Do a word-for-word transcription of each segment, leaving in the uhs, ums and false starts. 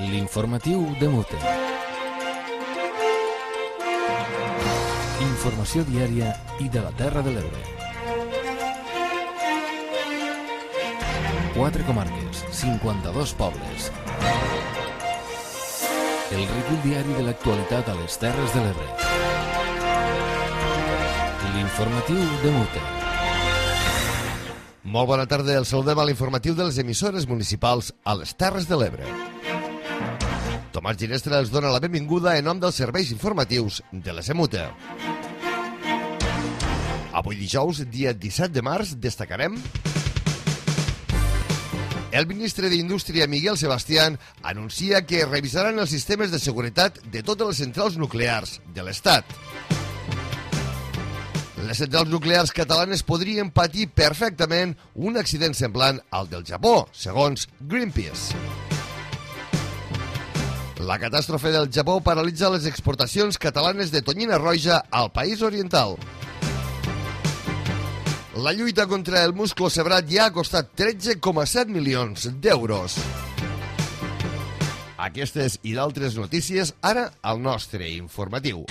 L'informatiu de Mute. Informació diària i de la Terra de l'Ebre. Quatre comarques, cinquanta-dos pobles. El recull diari de l'actualitat a les Terres de l'Ebre. L'informatiu de Mute. Molt bona tarda, el saludem a l'informatiu de les emissores municipals a les Terres de l'Ebre. Tomàs Ginestra els dona la benvinguda en nom dels serveis informatius de la Semute. Avui dijous, dia disset de març, destacarem... El ministre d'Indústria, Miguel Sebastián, anuncia que revisaran els sistemes de seguretat de totes les centrals nuclears de l'Estat. Les centrals nuclears catalanes podrien patir perfectament un accident semblant al del Japó, segons Greenpeace. La catàstrofe del Japó paralitza les exportacions catalanes de tonyina roja al país oriental. La lluita contra el musclo-sebrat ja ha costat tretze coma set milions d'euros. Aquestes i d'altres notícies ara al nostre informatiu.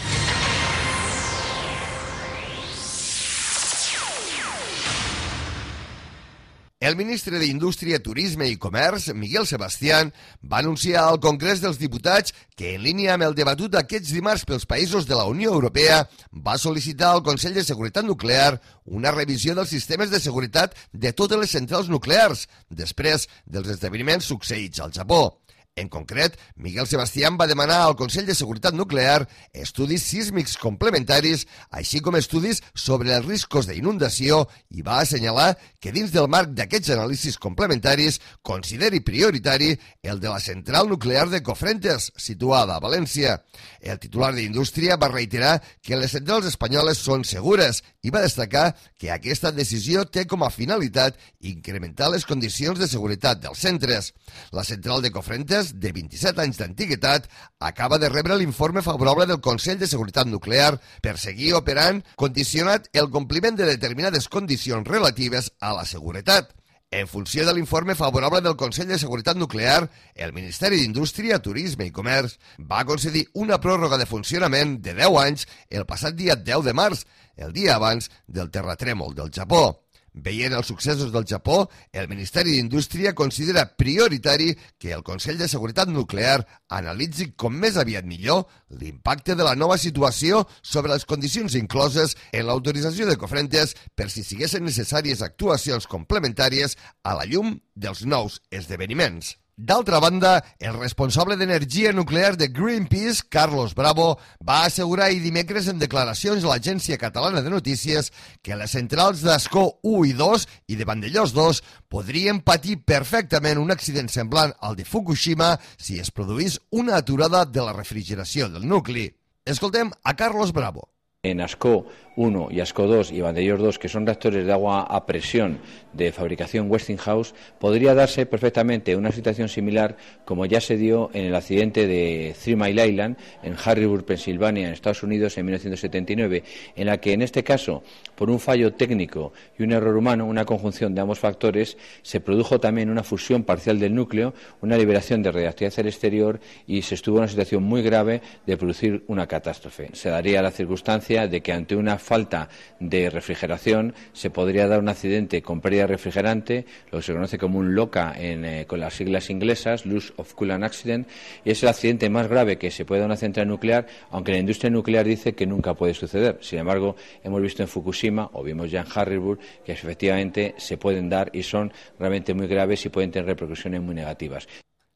El ministre d'Indústria, Turisme i Comerç, Miguel Sebastián, va anunciar al Congrés dels Diputats que, en línia amb el debatut aquests dimarts pels països de la Unió Europea, va sol·licitar al Consell de Seguretat Nuclear una revisió dels sistemes de seguretat de totes les centrals nuclears, després dels esdeveniments succeïts al Japó. En concret, Miguel Sebastián va demanar al Consell de Seguretat Nuclear estudis sísmics complementaris, així com estudis sobre els riscos d'inundació, i va assenyalar que dins del marc d'aquests anàlisis complementaris consideri prioritari el de la central nuclear de Cofrentes, situada a València. El titular d'Indústria va reiterar que les centrals espanyoles són segures i va destacar que aquesta decisió té com a finalitat incrementar les condicions de seguretat dels centres. La central de Cofrentes, de vint-i-set anys d'antiguitat, acaba de rebre l'informe favorable del Consell de Seguretat Nuclear per seguir operant, condicionat el compliment de determinades condicions relatives a la seguretat. En funció de l'informe favorable del Consell de Seguretat Nuclear, el Ministeri d'Indústria, Turisme i Comerç va concedir una pròrroga de funcionament de deu anys el passat dia deu de març, el dia abans del terratrèmol del Japó. Veient els successos del Japó, el Ministeri d'Indústria considera prioritari que el Consell de Seguretat Nuclear analitzi com més aviat millor l'impacte de la nova situació sobre les condicions incloses en l'autorització de Cofrentes per si siguessin necessàries actuacions complementàries a la llum dels nous esdeveniments. D'altra banda, el responsable d'energia nuclear de Greenpeace, Carlos Bravo, va assegurar ahir dimecres en declaracions a l'Agència Catalana de Notícies que les centrals d'Ascó u i dos i de Vandellós dos podrien patir perfectament un accident semblant al de Fukushima si es produís una aturada de la refrigeració del nucli. Escoltem a Carlos Bravo. En Ascó uno y Ascó dos y Vandellós dos, que son reactores de agua a presión de fabricación Westinghouse, podría darse perfectamente una situación similar como ya se dio en el accidente de Three Mile Island en Harrisburg, Pensilvania, en Estados Unidos en mil novecientos setenta y nueve, en la que en este caso, por un fallo técnico y un error humano, una conjunción de ambos factores, se produjo también una fusión parcial del núcleo, una liberación de radiactividad al exterior y se estuvo en una situación muy grave de producir una catástrofe. Se daría la circunstancia de que ante una falta de refrigeración se podría dar un accidente con pérdida de refrigerante, lo que se conoce como un LOCA en, eh, con las siglas inglesas, Loss of Coolant Accident, y es el accidente más grave que se puede dar en una central nuclear, aunque la industria nuclear dice que nunca puede suceder. Sin embargo, hemos visto en Fukushima, o vimos ya en Harrisburg, que efectivamente se pueden dar y son realmente muy graves y pueden tener repercusiones muy negativas.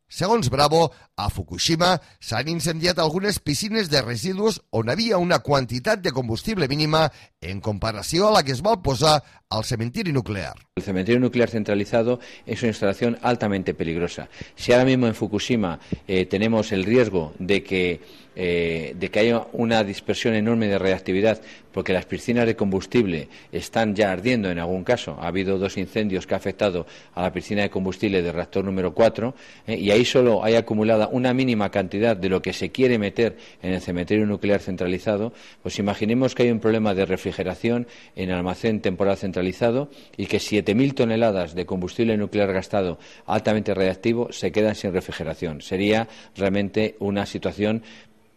Segons Bravo, a Fukushima s'han incendiat algunes piscines de residus on havia una quantitat de combustible mínima en comparació a la que es va posar al cementiri nuclear. El cementerio nuclear centralizado es una instalación altamente peligrosa. Si ahora mismo en Fukushima eh, tenemos el riesgo de que eh, de que haya una dispersión enorme de radiactividad, porque las piscinas de combustible están ya ardiendo en algún caso. Ha habido dos incendios que han afectado a la piscina de combustible del reactor número cuatro eh, y ahí solo hay acumulada una mínima cantidad de lo que se quiere meter en el cementerio nuclear centralizado. Pues imaginemos que hay un problema de refrigeración en el almacén temporal centralizado y que siete mil toneladas de combustible nuclear gastado altamente radiactivo se quedan sin refrigeración. Sería realmente una situación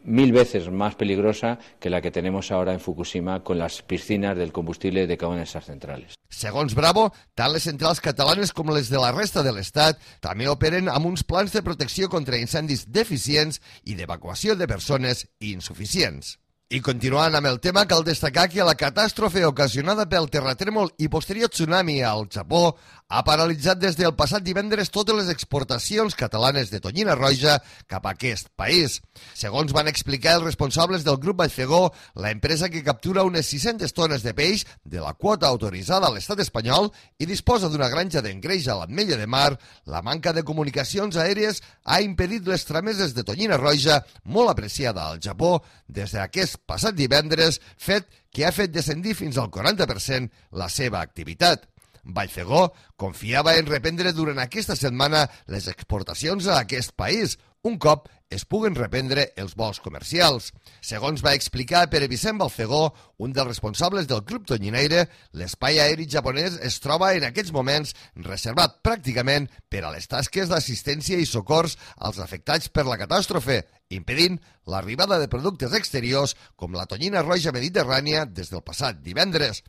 mil veces más peligrosa que la que tenemos ahora en Fukushima con las piscinas del combustible de cada una de esas centrales. Segons Bravo, tant les centrals catalanes com les de la resta de l'Estat també operen amb uns plans de protecció contra incendis deficients i d'evacuació de persones insuficients. I continuant amb el tema, cal destacar que la catàstrofe ocasionada pel terratrèmol i posterior tsunami al Japó ha paralitzat des del passat divendres totes les exportacions catalanes de tonyina roja cap a aquest país. Segons van explicar els responsables del grup Vallfegó, la empresa que captura unes sis-centes tones de peix de la quota autoritzada a l'estat espanyol i disposa d'una granja d'engreix a l'Ametlla de Mar, la manca de comunicacions aèries ha impedit les trameses de tonyina roja molt apreciada al Japó des d'aquest passat divendres, fet que ha fet descendir fins al quaranta per cent la seva activitat. Vallfegó confiava en reprendre durant aquesta setmana les exportacions a aquest país, un cop es puguen reprendre els vols comercials. Segons va explicar Pere Vicent Vallfegó, un dels responsables del Club Tonyinaire, l'espai aeri japonès es troba en aquests moments reservat pràcticament per a les tasques d'assistència i socors als afectats per la catàstrofe, impedint l'arribada de productes exteriors com la tonyina roja mediterrània des del passat divendres.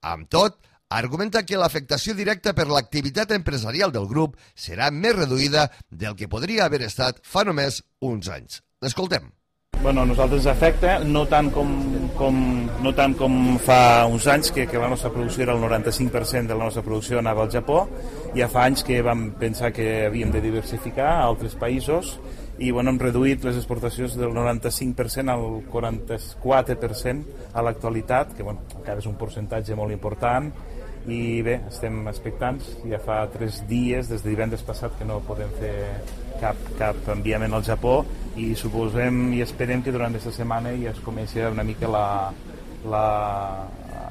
Amb tot, argumenta que l'afectació directa per l'activitat empresarial del grup serà més reduïda del que podria haver estat fa només uns anys. L'escoltem. Bueno, a nosaltres ens afecta, no tant com, com, no tant com fa uns anys, que, que la nostra producció era el noranta-cinc per cent de la nostra producció anava al Japó. Ja fa anys que vam pensar que havíem de diversificar a altres països i bueno, hem reduït les exportacions del noranta-cinc per cent al quaranta-quatre per cent a l'actualitat, que bueno, encara és un percentatge molt important. I bé, estem expectants, ja fa tres dies, des de divendres passat, que no podem fer cap, cap enviament al Japó i suposem i esperem que durant aquesta setmana ja es comenci una mica la, la,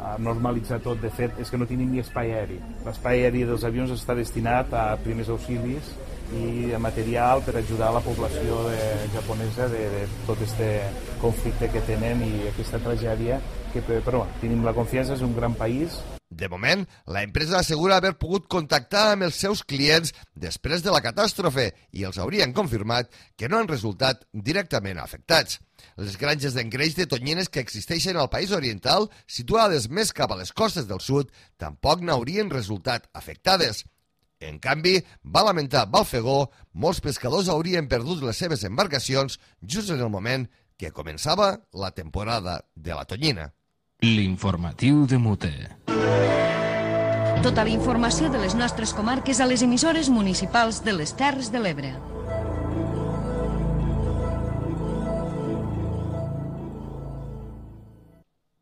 a normalitzar tot. De fet, és que no tenim ni espai aeri. L'espai aeri dels avions està destinat a primers auxilis i a material per ajudar la població de, japonesa de, de tot aquest conflicte que tenen i aquesta tragèdia, que, però tenim la confiança, és un gran país. De moment, la empresa assegura haver pogut contactar amb els seus clients després de la catàstrofe i els haurien confirmat que no han resultat directament afectats. Les granges d'engreix de tonyines que existeixen al país oriental, situades més cap a les costes del sud, tampoc n'haurien resultat afectades. En canvi, va lamentar Vallfegó, molts pescadors haurien perdut les seves embarcacions just en el moment que començava la temporada de la tonyina. L'informatiu de Mute. Tota la informació de les nostres comarques a les emissores municipals de les Terres de l'Ebre.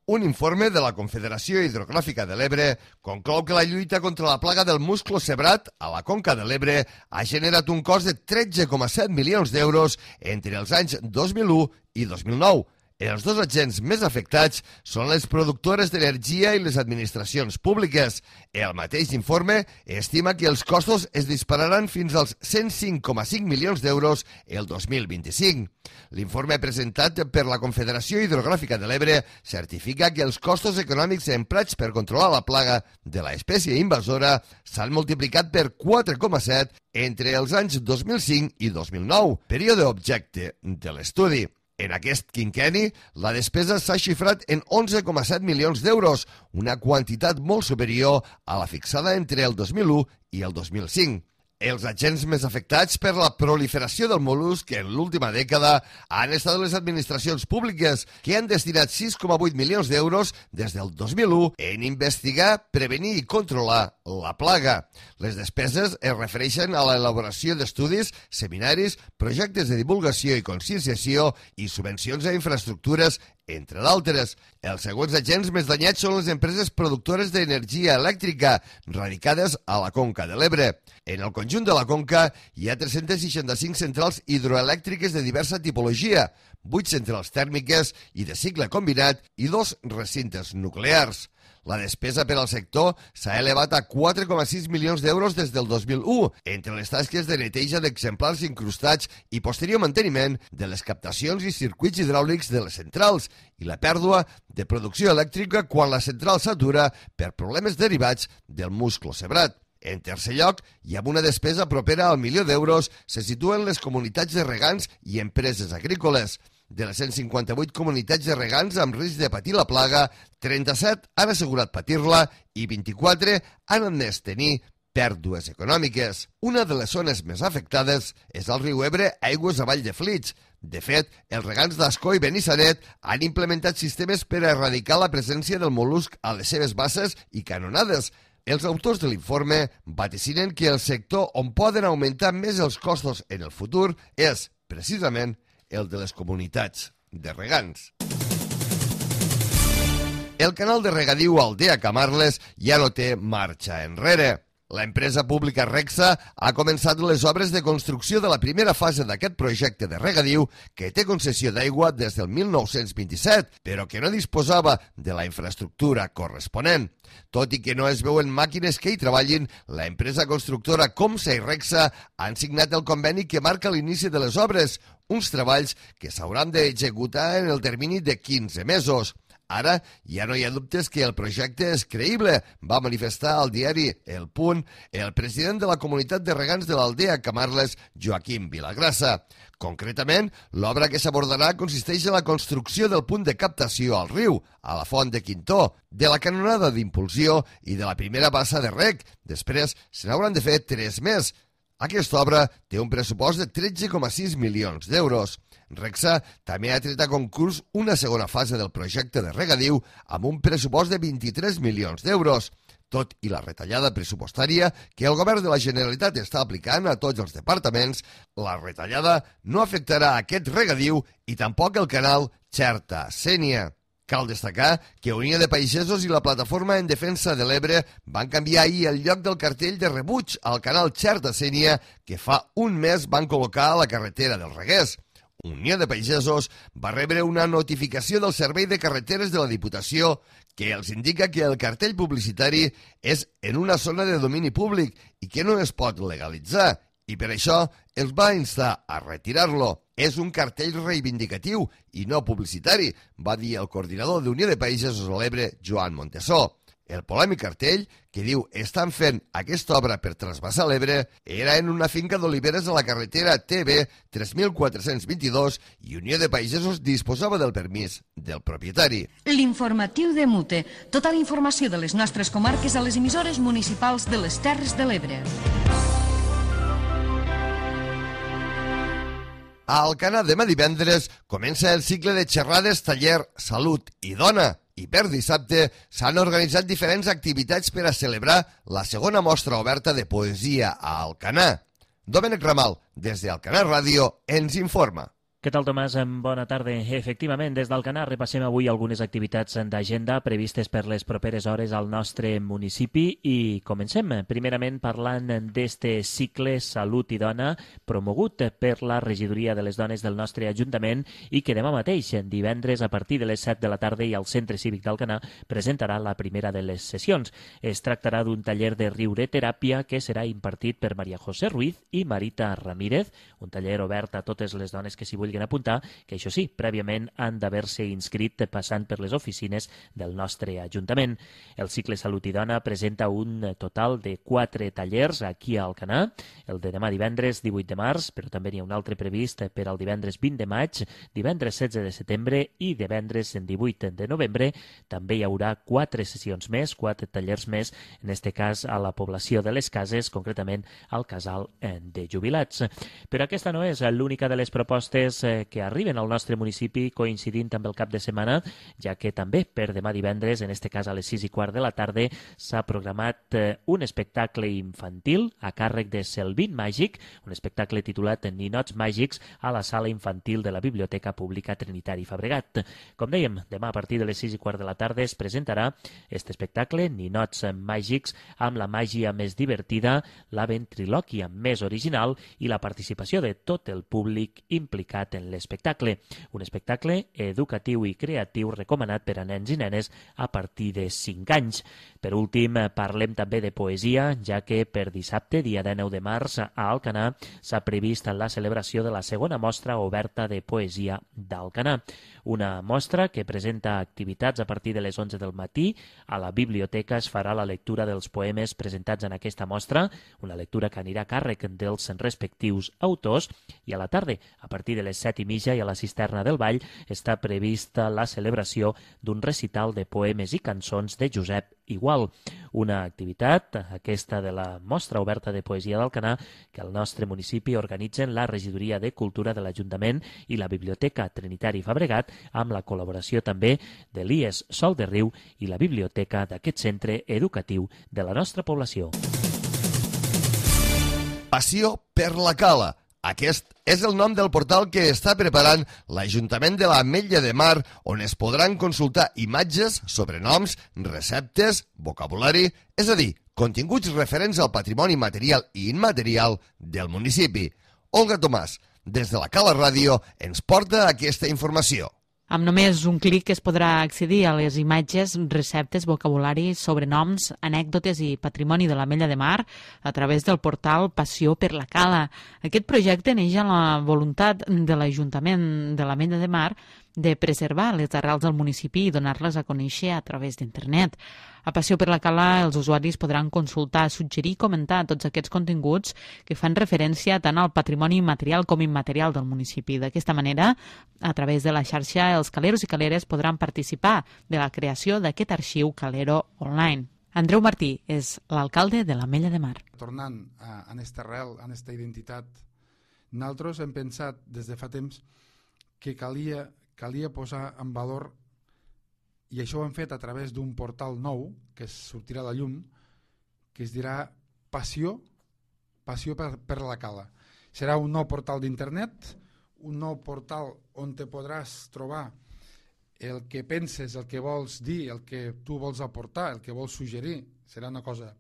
Un informe de la Confederació Hidrogràfica de l'Ebre conclou que la lluita contra la plaga del musclo cebrat a la Conca de l'Ebre ha generat un cost de tretze coma set milions d'euros entre els anys dos mil u i dos mil nou. Els dos agents més afectats són les productores d'energia i les administracions públiques. El mateix informe estima que els costos es dispararan fins als cent cinc coma cinc milions d'euros el dos mil vint-i-cinc. L'informe presentat per la Confederació Hidrogràfica de l'Ebre certifica que els costos econòmics emprats per controlar la plaga de l'espècie invasora s'han multiplicat per quatre coma set entre els anys dos mil cinc i dos mil nou, període objecte de l'estudi. En aquest quinquenni, la despesa s'ha xifrat en onze coma set milions d'euros, una quantitat molt superior a la fixada entre el dos mil u i el dos mil cinc. Els agents més afectats per la proliferació del mol·lusc en l'última dècada han estat les administracions públiques, que han destinat sis coma vuit milions d'euros des del dos mil u en investigar, prevenir i controlar la plaga. Les despeses es refereixen a l'elaboració d'estudis, seminaris, projectes de divulgació i conscienciació i subvencions a infraestructures, entre d'altres. Els següents agents més danyats són les empreses productores d'energia elèctrica radicades a la Conca de l'Ebre. En el conjunt de la Conca hi ha tres-cents seixanta-cinc centrals hidroelèctriques de diversa tipologia, vuit centrals tèrmiques i de cicle combinat i dos recintes nuclears. La despesa per al sector s'ha elevat a quatre coma sis milions d'euros des del dos mil u, entre les tasques de neteja d'exemplars incrustats i posterior manteniment de les captacions i circuits hidràulics de les centrals i la pèrdua de producció elèctrica quan la central s'atura per problemes derivats del musclo sebrat. En tercer lloc, i amb una despesa propera al milió d'euros, se situen les comunitats de regants i empreses agrícoles. De les cent cinquanta-vuit comunitats de regants amb risc de patir la plaga, trenta-set han assegurat patir-la i vint-i-quatre han admès tenir pèrdues econòmiques. Una de les zones més afectades és el riu Ebre, aigües avall de Flix. De fet, els regants d'Ascó i Benissanet han implementat sistemes per a erradicar la presència del mol·lusc a les seves basses i canonades. Els autors de l'informe vaticinen que el sector on poden augmentar més els costos en el futur és, precisament, el de les comunitats de regants. El canal de regadiu Aldea Camarles ja no té marxa enrere. La empresa pública Regsa ha començat les obres de construcció de la primera fase d'aquest projecte de regadiu que té concessió d'aigua des del mil nou-cents vint-i-set, però que no disposava de la infraestructura corresponent. Tot i que no es veuen màquines que hi treballin, la empresa constructora Comsa i Regsa han signat el conveni que marca l'inici de les obres, uns treballs que s'hauran d'executar en el termini de quinze mesos. Ara ja no hi ha dubtes que el projecte és creïble, va manifestar al diari El Punt el president de la comunitat de regants de l'Aldea Camarles, Joaquim Vilagrassa. Concretament, l'obra que s'abordarà consisteix en la construcció del punt de captació al riu, a la font de Quintó, de la canonada d'impulsió i de la primera bassa de rec. Després se n'hauran de fer tres més. Aquesta obra té un pressupost de tretze coma sis milions d'euros. Regsa també ha tret a concurs una segona fase del projecte de regadiu amb un pressupost de vint-i-tres milions d'euros. Tot i la retallada pressupostària que el govern de la Generalitat està aplicant a tots els departaments, la retallada no afectarà aquest regadiu i tampoc el canal Xerta-Sénia. Cal destacar que Unió de Pagesos i la Plataforma en Defensa de l'Ebre van canviar ahir el lloc del cartell de rebuig al canal Xerta-Sénia que fa un mes van col·locar a la carretera del Reguers. Unió de Pagesos va rebre una notificació del Servei de Carreteres de la Diputació que els indica que el cartell publicitari és en una zona de domini públic i que no es pot legalitzar, i per això els va instar a retirar-lo. És un cartell reivindicatiu i no publicitari, va dir el coordinador d'Unió de Pagesos a l'Ebre, Joan Montesó. El polèmic cartell, que diu estan fent aquesta obra per trasbassar l'Ebre, era en una finca d'oliveres a la carretera T B tres mil quatre-cents vint-i-dos i Unió de Pagesos disposava del permís del propietari. L'informatiu de Mute. Tota la informació de les nostres comarques a les emissores municipals de les Terres de l'Ebre. A Alcanar demà divendres comença el cicle de xerrades, taller, salut i dona. I per dissabte s'han organitzat diferents activitats per a celebrar la segona mostra oberta de poesia a Alcanar. Domènec Ramal, des d'Alcanar Ràdio, ens informa. Què tal, Tomàs? Bona tarda. Efectivament, des d'Alcanar repassem avui algunes activitats d'agenda previstes per les properes hores al nostre municipi i comencem, primerament, parlant d'este cicle Salut i Dona promogut per la Regidoria de les Dones del nostre Ajuntament i que demà mateix, divendres, a partir de les set de la tarda i al Centre Cívic d'Alcanar, presentarà la primera de les sessions. Es tractarà d'un taller de riureteràpia que serà impartit per Maria José Ruiz i Marita Ramírez, un taller obert a totes les dones que s'hi vulguin apuntar, que això sí, prèviament han d'haver-se inscrit passant per les oficines del nostre Ajuntament. El cicle Salut i Dona presenta un total de quatre tallers aquí a Alcanar, el de demà divendres divuit de març, però també n'hi ha un altre previst per al divendres vint de maig, divendres setze de setembre i divendres divuit de novembre. També hi haurà quatre sessions més, quatre tallers més, en este cas a la població de les Cases, concretament al casal de jubilats. Però aquesta no és l'única de les propostes espectacles que arriben al nostre municipi coincidint amb el cap de setmana, ja que també per demà divendres, en este cas a les sis i quart de la tarda, s'ha programat un espectacle infantil a càrrec de Selvin Màgic, un espectacle titulat Ninots Màgics a la sala infantil de la Biblioteca Pública Trinitari Fabregat. Com dèiem, demà a partir de les sis i quart de la tarda es presentarà aquest espectacle, Ninots Màgics, amb la màgia més divertida, la ventrilòquia més original i la participació de tot el públic implicat en l'espectacle. Un espectacle educatiu i creatiu recomanat per a nens i nenes a partir de cinc anys. Per últim, parlem també de poesia, ja que per dissabte, dia dinou de març, a Alcanar s'ha previst la celebració de la segona mostra oberta de poesia d'Alcanar. Una mostra que presenta activitats a partir de les onze del matí. A la biblioteca es farà la lectura dels poemes presentats en aquesta mostra, una lectura que anirà a càrrec dels respectius autors, i a la tarda, a partir de les set i mitja i a la cisterna del Vall, està prevista la celebració d'un recital de poemes i cançons de Josep Igual. Una activitat, aquesta de la mostra oberta de poesia d'Alcanar, que al nostre municipi organitzen la Regidoria de Cultura de l'Ajuntament i la Biblioteca Trinitari Fabregat, amb la col·laboració també de l'I E S Sol de Riu i la biblioteca d'aquest centre educatiu de la nostra població. Passió per la Cala. Aquest és el nom del portal que està preparant l'Ajuntament de l'Ametlla de Mar, on es podran consultar imatges, sobrenoms, receptes, vocabulari, és a dir, continguts referents al patrimoni material i immaterial del municipi. Olga Tomàs, des de la Cala Ràdio, ens porta aquesta informació. Amb només un clic es podrà accedir a les imatges, receptes, vocabulari, sobrenoms, anècdotes i patrimoni de l'Ametlla de Mar a través del portal Passió per la Cala. Aquest projecte neix amb la voluntat de l'Ajuntament de l'Ametlla de Mar de preservar les arrels del municipi i donar-les a conèixer a través d'internet. A Passió per la Cala els usuaris podran consultar, suggerir i comentar tots aquests continguts que fan referència tant al patrimoni material com immaterial del municipi. D'aquesta manera, a través de la xarxa, els caleros i caleres podran participar de la creació d'aquest arxiu calero online. Andreu Martí és l'alcalde de l'Ametlla de Mar. Tornant a aquesta arrel, a aquesta identitat, nosaltres hem pensat des de fa temps que calia, calia posar en valor, i això ho hem fet a través d'un portal nou que sortirà a la llum, que es dirà Passió, Passió per, per la Cala. Serà un nou portal d'internet, un nou portal on te podràs trobar el que penses, el que vols dir, el que tu vols aportar, el que vols suggerir. Serà una cosa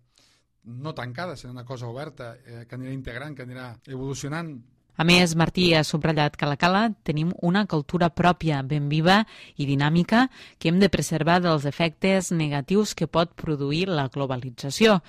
no tancada, serà una cosa oberta, eh, que anirà integrant, que anirà evolucionant. A més, Martí ha subratllat que a la Cala tenim una cultura pròpia, ben viva i dinàmica, que hem de preservar dels efectes negatius que pot produir la globalització.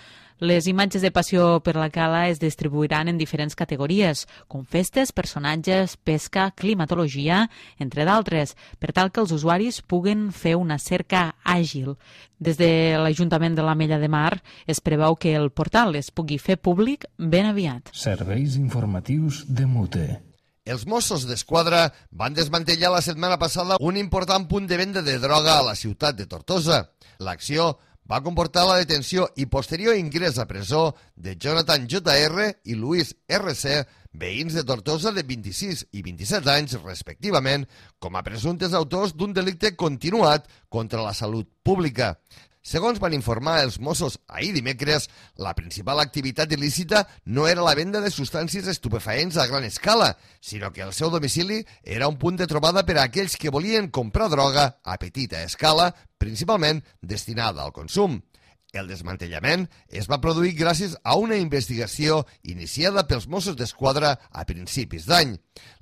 Les imatges de Passió per la Cala es distribuiran en diferents categories, com festes, personatges, pesca, climatologia, entre d'altres, per tal que els usuaris puguen fer una cerca àgil. Des de l'Ajuntament de l'Ametlla de Mar es preveu que el portal es pugui fer públic ben aviat. Serveis informatius de Mute. Els Mossos d'Esquadra van desmantellar la setmana passada un important punt de venda de droga a la ciutat de Tortosa. L'acció va comportar la detenció i posterior ingrés a presó de Jonathan J R i Luis R C, veïns de Tortosa de vint-i-sis i vint-i-set anys, respectivament, com a presumptes autors d'un delicte continuat contra la salut pública. Segons van informar els Mossos ahir dimecres, la principal activitat il·lícita no era la venda de substàncies estupefaents a gran escala, sinó que el seu domicili era un punt de trobada per a aquells que volien comprar droga a petita escala, principalment destinada al consum. El desmantellament es va produir gràcies a una investigació iniciada pels Mossos d'Esquadra a principis d'any.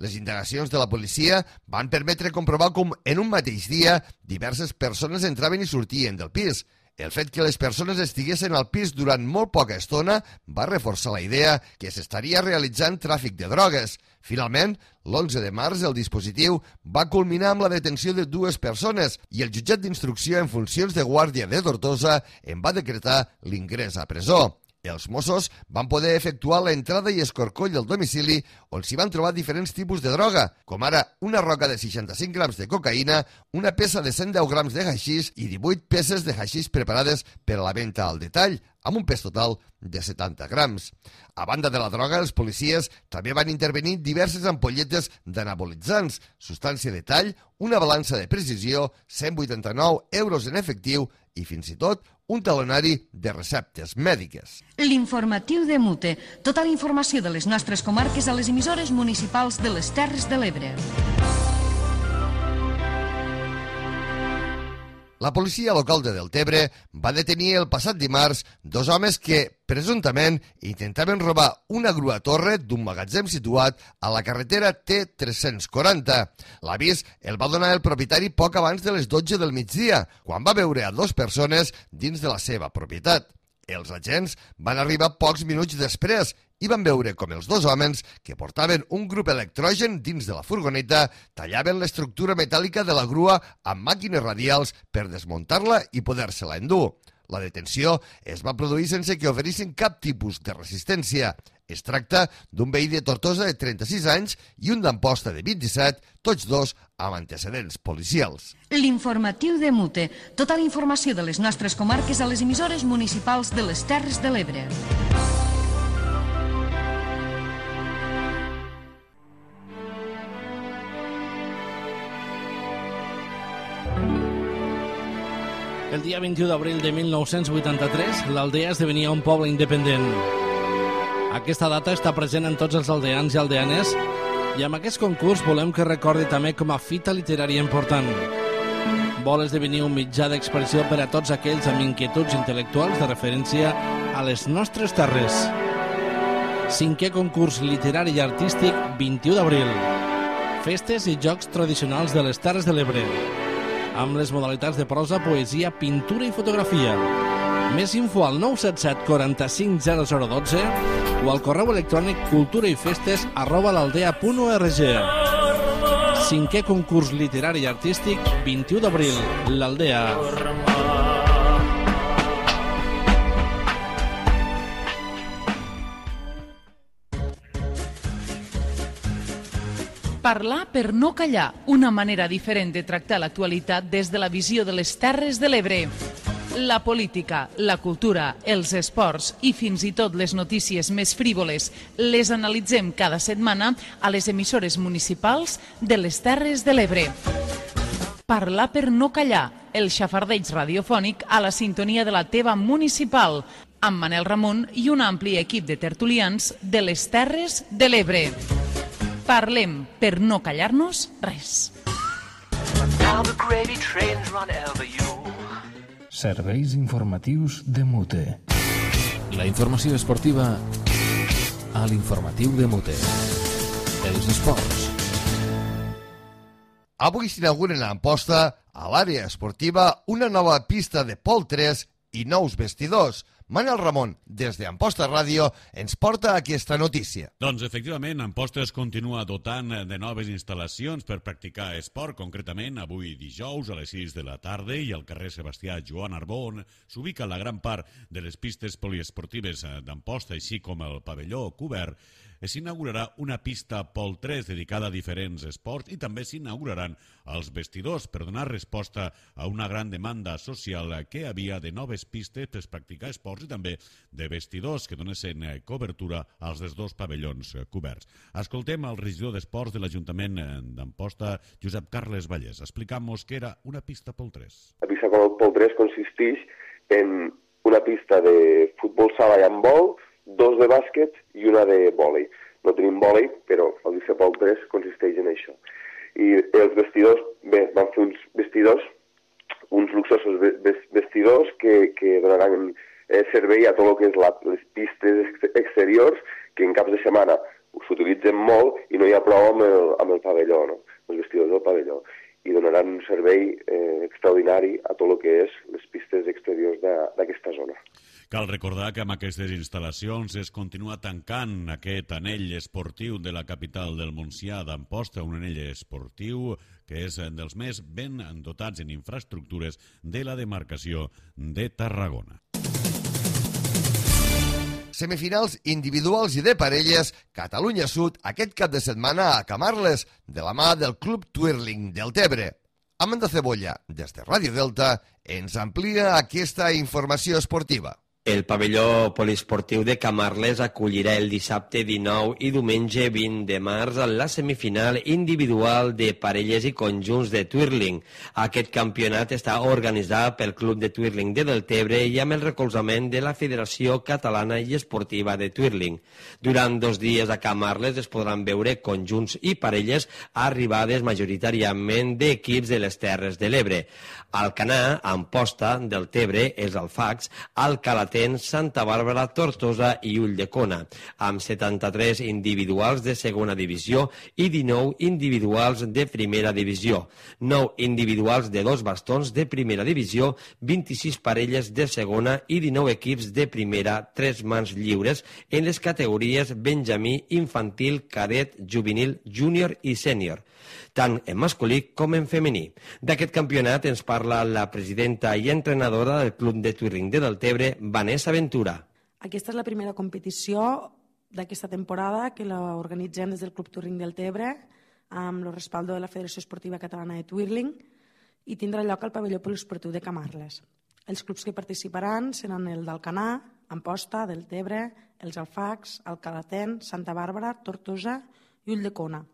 Les indagacions de la policia van permetre comprovar com en un mateix dia diverses persones entraven i sortien del pis. El fet que les persones estiguessin al pis durant molt poca estona va reforçar la idea que s'estaria realitzant tràfic de drogues. Finalment, l'onze de març, el dispositiu va culminar amb la detenció de dues persones i el jutjat d'instrucció en funcions de guàrdia de Tortosa en va decretar l'ingrés a presó. Els Mossos van poder efectuar l'entrada i escorcoll del domicili on s'hi van trobar diferents tipus de droga, com ara una roca de seixanta-cinc grams de cocaïna, una peça de cent deu grams de haixís i divuit peces de haixís preparades per a la venda al detall, amb un pes total de setanta grams. A banda de la droga, els policies també van intervenir diverses ampolletes d'anabolitzants, substància de tall, una balança de precisió, cent vuitanta-nou euros en efectiu i fins i tot un talonari de receptes mèdiques. L'informatiu de Mute. Tota la informació de les nostres comarques a les emissores municipals de les Terres de l'Ebre. La policia local de Deltebre va detenir el passat dimarts dos homes que, presumptament, intentaven robar una grua torre d'un magatzem situat a la carretera T tres-cents quaranta. L'avís el va donar el propietari poc abans de les dotze del migdia, quan va veure a dues persones dins de la seva propietat. Els agents van arribar pocs minuts després i van veure com els dos homes, que portaven un grup electrogen dins de la furgoneta, tallaven l'estructura metàl·lica de la grua amb màquines radials per desmuntar-la i poder-se-la endur. La detenció es va produir sense que oferissin cap tipus de resistència. Es tracta d'un veí de Tortosa de trenta-sis anys i un d'Amposta de vint-i-set, tots dos amb antecedents policials. L'informatiu de Mute. Tota la informació de les nostres comarques a les emissores municipals de les Terres de l'Ebre. El dia vint-i-u d'abril de mil nou-cents vuitanta-tres, l'Aldea esdevenia un poble independent. Aquesta data està present en tots els aldeans i aldeanes i amb aquest concurs volem que recordi també com a fita literària important. Vol esdevenir un mitjà d'expressió per a tots aquells amb inquietuds intel·lectuals de referència a les nostres terres. Cinquè concurs literari i artístic, vint-i-u d'abril. Festes i jocs tradicionals de les Terres de l'Ebre, amb les modalitats de prosa, poesia, pintura i fotografia. Més info al nou set set quaranta-cinc zero zero dotze o al correu electrònic culturaifestes arroba l'aldea punt org. Cinquè concurs literari i artístic, vint-i-u d'abril, l'Aldea. Parlar per no callar, una manera diferent de tractar l'actualitat des de la visió de les Terres de l'Ebre. La política, la cultura, els esports i fins i tot les notícies més frívoles les analitzem cada setmana a les emissores municipals de les Terres de l'Ebre. Parlar per no callar, el xafardeig radiofònic a la sintonia de la teva municipal, amb Manel Ramon i un ampli equip de tertulians de les Terres de l'Ebre. Parlem per no callar-nos res. Serveis informatius de Mute. La informació esportiva a l'informatiu de Mute. Els esports. Avui s'inauguren a Amposta, a l'àrea esportiva, una nova pista de pol tres i nous vestidors. Manel Ramon, des d'Amposta Ràdio, ens porta aquesta notícia. Doncs, efectivament, Amposta es continua dotant de noves instal·lacions per practicar esport. Concretament, avui dijous a les sis de la tarda i al carrer Sebastià Joan Arbó, on s'ubica la gran part de les pistes poliesportives d'Amposta, així com el pavelló cobert, s'inaugurarà una pista pol tres dedicada a diferents esports i també s'inauguraran els vestidors per donar resposta a una gran demanda social que havia de noves pistes per practicar esports i també de vestidors que donessin cobertura als dos pavellons coberts. Escoltem el regidor d'Esports de l'Ajuntament d'Amposta, Josep Carles Vallès. Explicamos què era una pista pol tres. La pista pol tres consisteix en una pista de futbol sala i handbol, dos de bàsquet i una de vòlei. No tenim vòlei, però el pol tres consisteix en això. I els vestidors, bé, van fer uns vestidors, uns luxosos vestidors que, que donaran eh, servei a tot el que és la, les pistes exteriors, que en caps de setmana s'utilitzen molt i no hi ha prou amb el, amb el pavelló, no? Els vestidors del pavelló. I donaran un servei eh, extraordinari a tot el que és les pistes exteriors d'aquesta zona. Cal recordar que amb aquestes instal·lacions es continua tancant aquest anell esportiu de la capital del Montsià d'Amposta, un anell esportiu que és dels més ben dotats en infraestructures de la demarcació de Tarragona. semifinals individuals i de parelles, Catalunya Sud aquest cap de setmana a Camarles, de la mà del Club Twirling del Tebre. Amanda Cebolla, des de Ràdio Delta, ens amplia aquesta informació esportiva. El pavelló poliesportiu de Camarles acollirà el dissabte dinou i diumenge vint de març la semifinal individual de parelles i conjunts de twirling. Aquest campionat està organitzat pel Club de Twirling de Deltebre i amb el recolzament de la Federació Catalana i Esportiva de Twirling. Durant dos dies a Camarles es podran veure conjunts i parelles arribades majoritàriament d'equips de les Terres de l'Ebre. Alcanar, Amposta, Deltebre, Els Alfacs, Alcalatén, Santa Bàrbara, Tortosa i Ulldecona, amb setanta-tres individuals de segona divisió i dinou individuals de primera divisió, nou individuals de dos bastons de primera divisió, vint-i-sis parelles de segona i dinou equips de primera, tres mans lliures en les categories benjamí, infantil, cadet, juvenil, júnior i sènior, tant en masculí com en femení. D'aquest campionat ens parla la presidenta i entrenadora del Club de Twirling de Deltebre, Vanessa Ventura. Aquesta és la primera competició d'aquesta temporada que l'organitzem des del Club Twirling del Tebre amb el respaldo de la Federació Esportiva Catalana de Twirling i tindrà lloc al pavelló poliesportiu de Camarles. Els clubs que participaran seran el d'Alcanar, Amposta, Deltebre, Els Alfacs, Alcalatén, Santa Bàrbara, Tortosa i Ulldecona.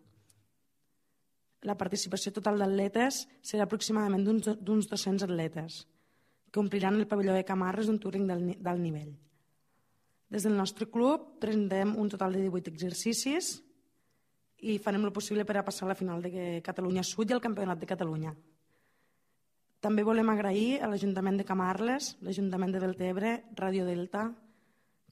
La participació total d'atletes serà aproximadament d'uns dos-cents atletes, que ompliran el pavelló de Camarles d'un Twirling d'alt nivell. Des del nostre club presentem un total de divuit exercicis i farem el possible per a passar a la final de Catalunya Sud i al Campionat de Catalunya. També volem agrair a l'Ajuntament de Camarles, l'Ajuntament de Deltebre, Ràdio Delta,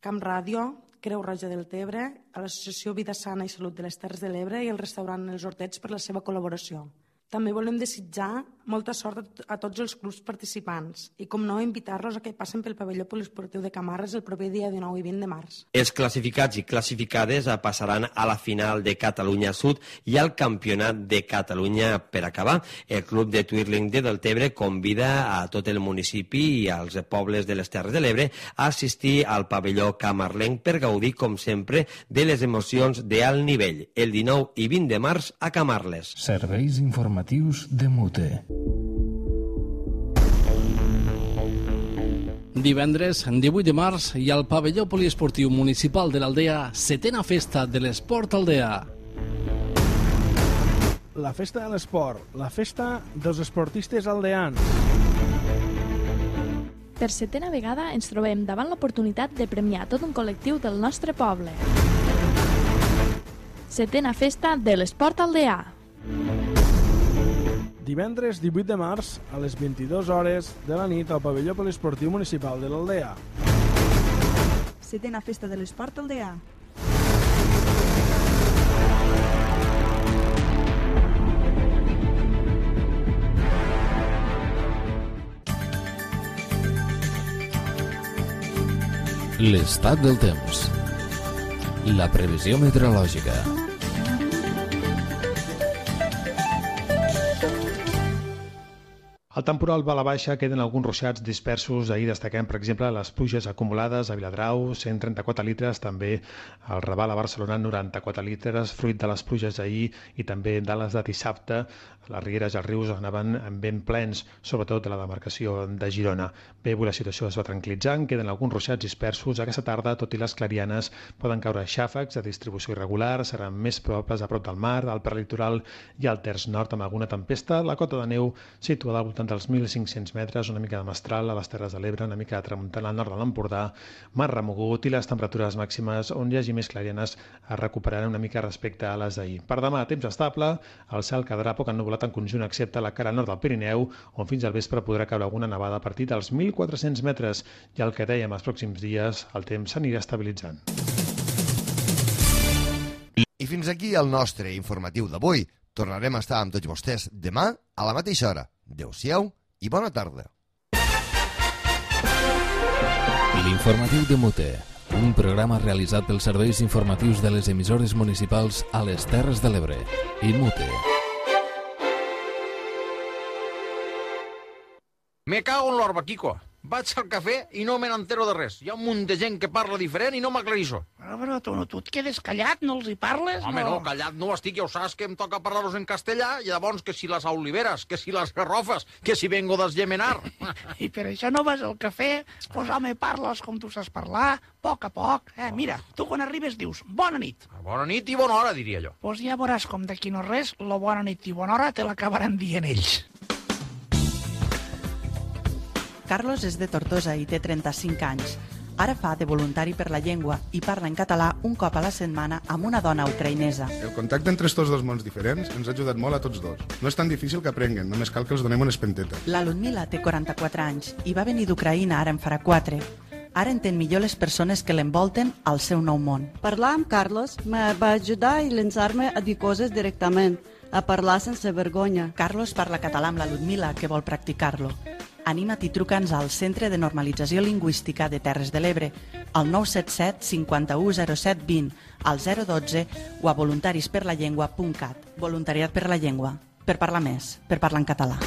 Camp Ràdio, Creu Roja del Tebre, a l'Associació Vida Sana i Salut de les Terres de l'Ebre i al restaurant Els Hortets per la seva col·laboració. També volem desitjar molta sort a tots els clubs participants i, com no, invitar-los a que passen pel pavelló poliesportiu de Camarles el proper dia dinou i vint de març. Els classificats i classificades passaran a la final de Catalunya Sud i al Campionat de Catalunya per acabar. El Club de Twirling de Deltebre convida a tot el municipi i als pobles de les Terres de l'Ebre a assistir al pavelló camarlenc per gaudir, com sempre, de les emocions d'alt nivell, el dinou i vint de març a Camarles. Serveis informatius de Mute. Divendres, divuit de març, i al pavelló poliesportiu municipal de l'Aldea, setena festa de l'esport Aldea. La festa de l'esport, la festa dels esportistes aldeans. Per setena vegada ens trobem davant l'oportunitat de premiar tot un col·lectiu del nostre poble. Setena festa de l'esport aldeà. Divendres divuit de març a les vint-i-dues hores de la nit al pavelló poliesportiu municipal de l'Aldea. Setena festa de l'esport aldeà. L'estat del temps. La previsió meteorològica. El temporal va a la baixa, queden alguns ruixats dispersos. Ahir destaquem, per exemple, les pluges acumulades a Viladrau, cent trenta-quatre litres, també al Raval a Barcelona, noranta-quatre litres, fruit de les pluges ahir i també de les de dissabte. Les rieres i els rius anaven ben plens, sobretot de la demarcació de Girona. Bé, avui la situació es va tranquil·litzant, queden alguns ruixats dispersos. Aquesta tarda, tot i les clarianes, poden caure xàfecs de distribució irregular, seran més probables a prop del mar, al prelitoral i al terç nord amb alguna tempesta. La cota de neu situada al voltant dels mil cinc-cents metres, una mica de mestral a les Terres de l'Ebre, una mica de tramuntana al nord de l'Empordà, mar remogut, i les temperatures màximes on hi hagi més clarianes es recuperaran una mica respecte a les d'ahir. Per demà, temps estable, el cel quedarà poc ennuvolat en conjunt excepte a la cara nord del Pirineu, on fins al vespre podrà caure alguna nevada a partir dels mil quatre-cents metres, i el que dèiem els pròxims dies, el temps s'anirà estabilitzant. I fins aquí el nostre informatiu d'avui. Tornarem a estar amb tots vostès demà a la mateixa hora. Adéu-siau i bona tarda. L'informatiu de Mute, un programa realitzat pels serveis informatius de les emissores municipals a les Terres de l'Ebre i Mute. Me cago en l'orba, Kiko. Vaig al cafè i no me n'entero de res. Hi ha un munt de gent que parla diferent i no m'aclarissó. Però, però tu, no, tu et quedes callat, no els hi parles? Home, no, callat no estic, ja ho saps que em toca parlar-los en castellà, i llavors que si les oliveres, que si les garrofes, que si vengo d'esgemenar. I per això no vas al cafè? Pues home, parles com tu saps parlar, a poc a poc. Eh, mira, tu quan arribes dius bona nit. Bona nit i bona hora, diria jo. Pues ja veuràs com d'aquí no res, la bona nit i bona hora te l'acabaran dient ells. Carlos és de Tortosa i té trenta-cinc anys. Ara fa de voluntari per la llengua i parla en català un cop a la setmana amb una dona ucraïnesa. El contacte entre estos dos mons diferents ens ha ajudat molt a tots dos. No és tan difícil que aprenguen, només cal que els donem unes pentetes. La Ludmila té quaranta-quatre anys i va venir d'Ucraïna, ara en farà quatre. Ara entén millor les persones que l'envolten al seu nou món. Parlar amb Carlos me va ajudar i llançar-me a dir coses directament, a parlar sense vergonya. Carlos parla català amb la Ludmila, que vol practicar-lo. Anima't i truca'ns al Centre de Normalització Lingüística de Terres de l'Ebre, al nou set set cinquanta-u zero set vint, al zero dotze o a voluntarisperlallengua punt cat. Voluntariat per la llengua. Per parlar més, per parlar en català.